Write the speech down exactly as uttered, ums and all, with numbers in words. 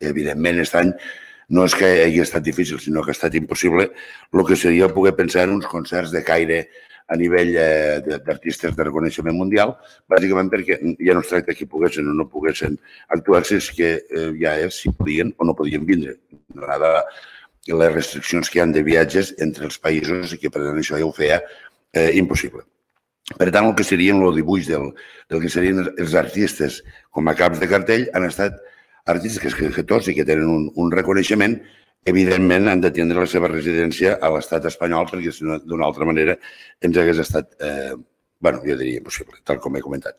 Evidentment, aquest any no és que hagi estat difícil, sinó que ha estat impossible el que seria poder pensar en uns concerts de caire a nivell d'artistes de reconeixement mundial, bàsicament perquè ja no es tracta que poguessin o no poguessin actuar, sinó que ja és si podien o no podien vindre. Donada les restriccions que hi ha de viatges entre els països i que per tant això ja ho feia impossible. Per tant, el que serien el dibuix del que serien els artistes com a caps de cartell han estat artistes que tots i que tenen un reconeixement, evidentment han de tindre la seva residència a l'estat espanyol perquè si no, d'una altra manera ens hagués estat, bueno, jo diria impossible, tal com he comentat.